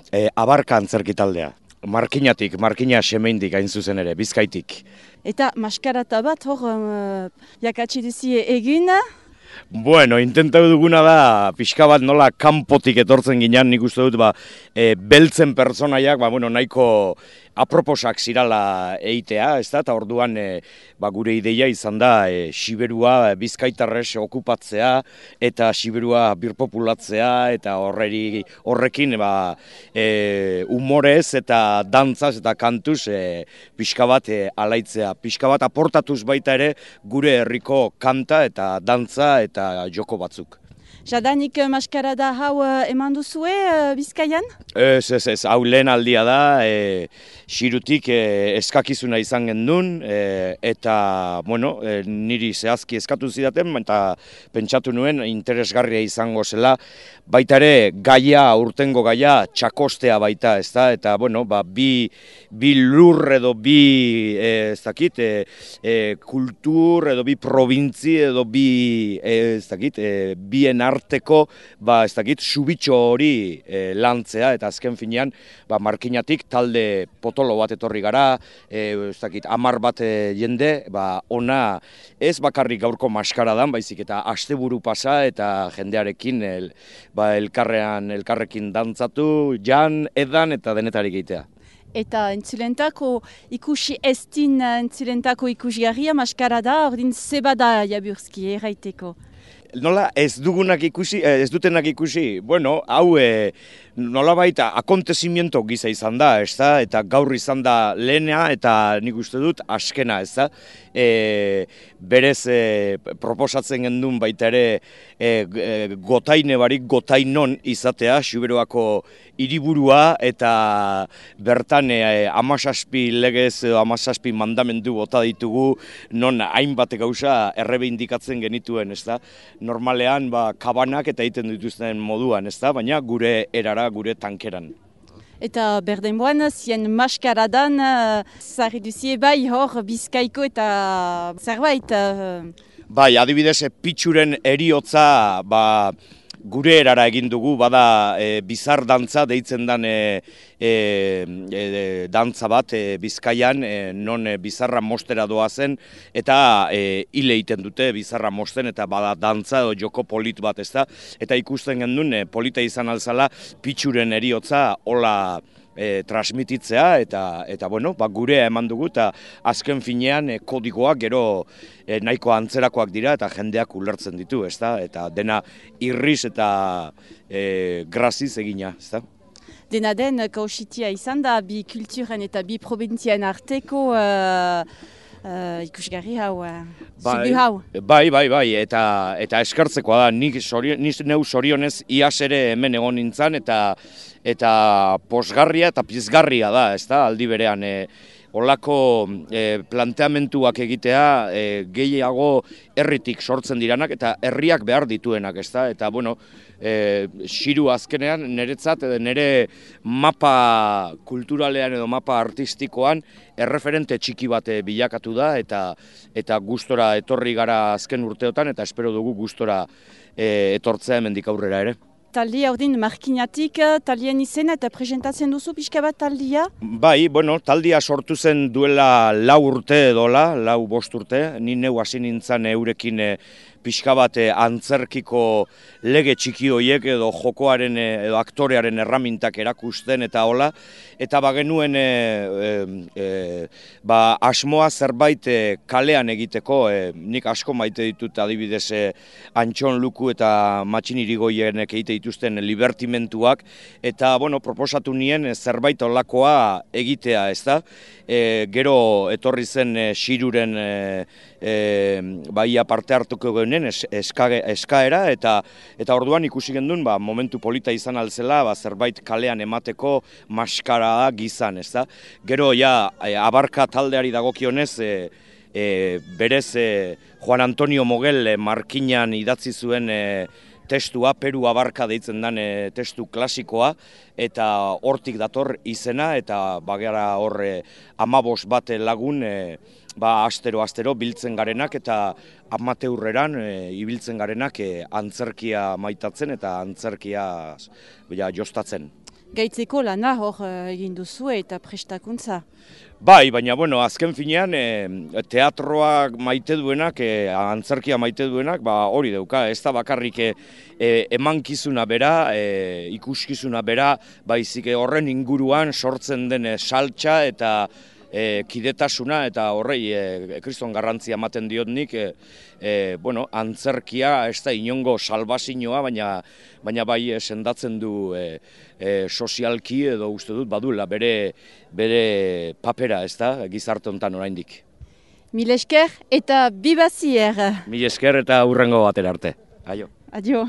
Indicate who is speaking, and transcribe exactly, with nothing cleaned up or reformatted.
Speaker 1: E, abarka antzerki taldea. Markinatik, markina semeindik hain zuzen ere, Bizkaitik.
Speaker 2: Eta maskarata bat hor uh, jakatsi duzie egin.
Speaker 1: Bueno, intentatu duguna da, pixka bat nola kanpotik etortzen ginean, nik uste dut, ba, e, beltzen pertsonaiak, ba, bueno, nahiko aproposak zirala eitea, ez da, eta orduan e, ba, gure ideia izan da e, Siberua bizkaitarrez okupatzea, eta Siberua birpopulatzea, eta horreri, horrekin ba, e, humorez eta dantzaz eta kantuz e, pixka bat e, alaitzea. Pixka bat aportatuz baita ere gure herriko kanta eta dantza eta joko batzuk.
Speaker 2: Jadanik maskarada hau uh, eman duzue uh, Bizkaian?
Speaker 1: Ez, ez, ez, hau lehen aldia da, e, Xirutik e, eskakizuna izan gendun, e, eta, bueno, e, niri zehazki eskatu zidaten, eta pentsatu nuen interesgarria izango zela, baita ere gaia, urtengo gaia, txakostea baita, ez da, eta, bueno, ba, bi, bi lur edo bi, e, ez dakit, e, e, kultur edo bi probintzi edo bi, e, ez dakit, e, bien arteko, ba, ez dakit, subitxo hori e, lantzea, eta azken finean, ba, markinatik talde potolo bat etorri gara, e, ez dakit, amar bat e, jende, ba, ona ez bakarrik gaurko maskaradan, baizik eta asteburu pasa eta jendearekin el, ba, elkarrean, elkarrekin dantzatu, jan, edan eta denetarik egitea.
Speaker 2: Eta entzulentako ikusi estin entzulentako ikusgarria maskarada, ordin zebada Jaburski erraiteko.
Speaker 1: Nola ez dugunak ikusi, ez dutenak ikusi, bueno, hau e, nolabait akontezimiento giza izan da, ez da, eta gaur izan da lehena eta nik uste dut askena, ez da. E, berez e, proposatzen gendun baita ere e, e, gotaine barik gotainon izatea, Siberuako hiriburua eta bertan e, amasaspi legez, amasaspi mandamendu bota ditugu, non hainbat gauza errebindikatzen genituen, ez da. Normalean ba, kabanak eta egiten dituzten moduan, ez da, baina gure erara, gure tankeran.
Speaker 2: Eta berdenboan, zien maskaradan, uh, zarri duzie bai hor Bizkaiko eta zerbait. Uh...
Speaker 1: Bai, adibidez, pitxuren eriotza, ba, gure erara egin dugu, bada e, bizar dantza deitzen dan e, e, e, dantza bat e, Bizkaian, e, non e, bizarra mostera doazen, eta e, hile egiten dute bizarra mosten, eta bada dantza edo joko polit bat, ez da, eta ikusten gendun e, polita izan alzala pitxuren eriotza hola E, transmititzea, eta, eta bueno, ba, gure eman dugu, eta azken finean e, kodigoak gero e, nahiko antzerakoak dira, eta jendeak ulertzen ditu, ez da? Eta dena irriz eta e, graziz egina, ez da?
Speaker 2: Dena den, kausitia izan da, bi kulturen eta bi probintzien arteko uh, uh, ikusgarri hau, uh,
Speaker 1: bai,
Speaker 2: hau.
Speaker 1: Bai, bai, bai, eta, eta eskartzekoa da, nik, sorio, nik neu sorionez iaz ere hemen egon nintzen, eta eta posgarria eta pizgarria da, ez da, aldi berean. E, olako e, planteamentuak egitea e, gehiago herritik sortzen diranak eta herriak behar dituenak, ez da, eta bueno, e, Xiru azkenean niretzat, nire mapa kulturalean edo mapa artistikoan erreferente txiki bat bilakatu da, eta eta gustora etorri gara azken urteotan, eta espero dugu gustora e, etortzea hemendik aurrera ere.
Speaker 2: Taldia ordin markinatik, taldien izena eta presentatzen duzu pixka bat taldia?
Speaker 1: Bai, bueno, taldia sortu zen duela lau urte edola, lau bost urte, ni neu hasi nintzen eurekin e, pixka bat e, antzerkiko lege txiki horiek edo jokoaren e, edo aktorearen erramintak erakusten eta hola, eta bagenuen e, e, ba, asmoa zerbait e, kalean egiteko, e, nik asko maite ditut adibidez e, Antxon Luku eta Matxin Irigoienek egite dituzten libertimentuak, eta bueno, proposatu nien e, zerbait olakoa egitea, ez da? E, gero etorri zen e, Xiruren e, e, baia parte hartuko geunen es, eska, eskaera, eta eta orduan ikusi gendun, ba, momentu polita izan alzela, ba, zerbait kalean emateko maskara gizan, ez da? Gero ja e, abarka taldeari dagokionez, e, e, berez e, Juan Antonio Mogel e, markinan idatzi zuen e, testua, Peru abarka deitzen den e, testu klasikoa, eta hortik dator izena, eta bagara horre amabos bat lagun, e, ba, astero-astero biltzen garenak, eta amateurreran e, ibiltzen garenak e, antzerkia maitatzen eta antzerkia ja, jostatzen.
Speaker 2: gaitzeko lana hor egin duzu eta prestakuntza.
Speaker 1: Bai, baina bueno, azken finean e, teatroa maite duenak, e, antzerkia maite duenak, ba hori dauka, ez da bakarrik e, emankizuna bera, e, ikuskizuna bera, baizik horren inguruan sortzen den saltsa eta e, kidetasuna eta horrei e, kriston garrantzia ematen diot nik, e, e, bueno, antzerkia ez da inongo salbazioa, baina, baina bai e, sendatzen du e, e, sozialki edo uste dut badula bere, bere papera ez da gizarte honetan oraindik.
Speaker 2: Mil esker eta bibazier.
Speaker 1: Mil esker eta hurrengo batera arte. Aio.
Speaker 2: Adio.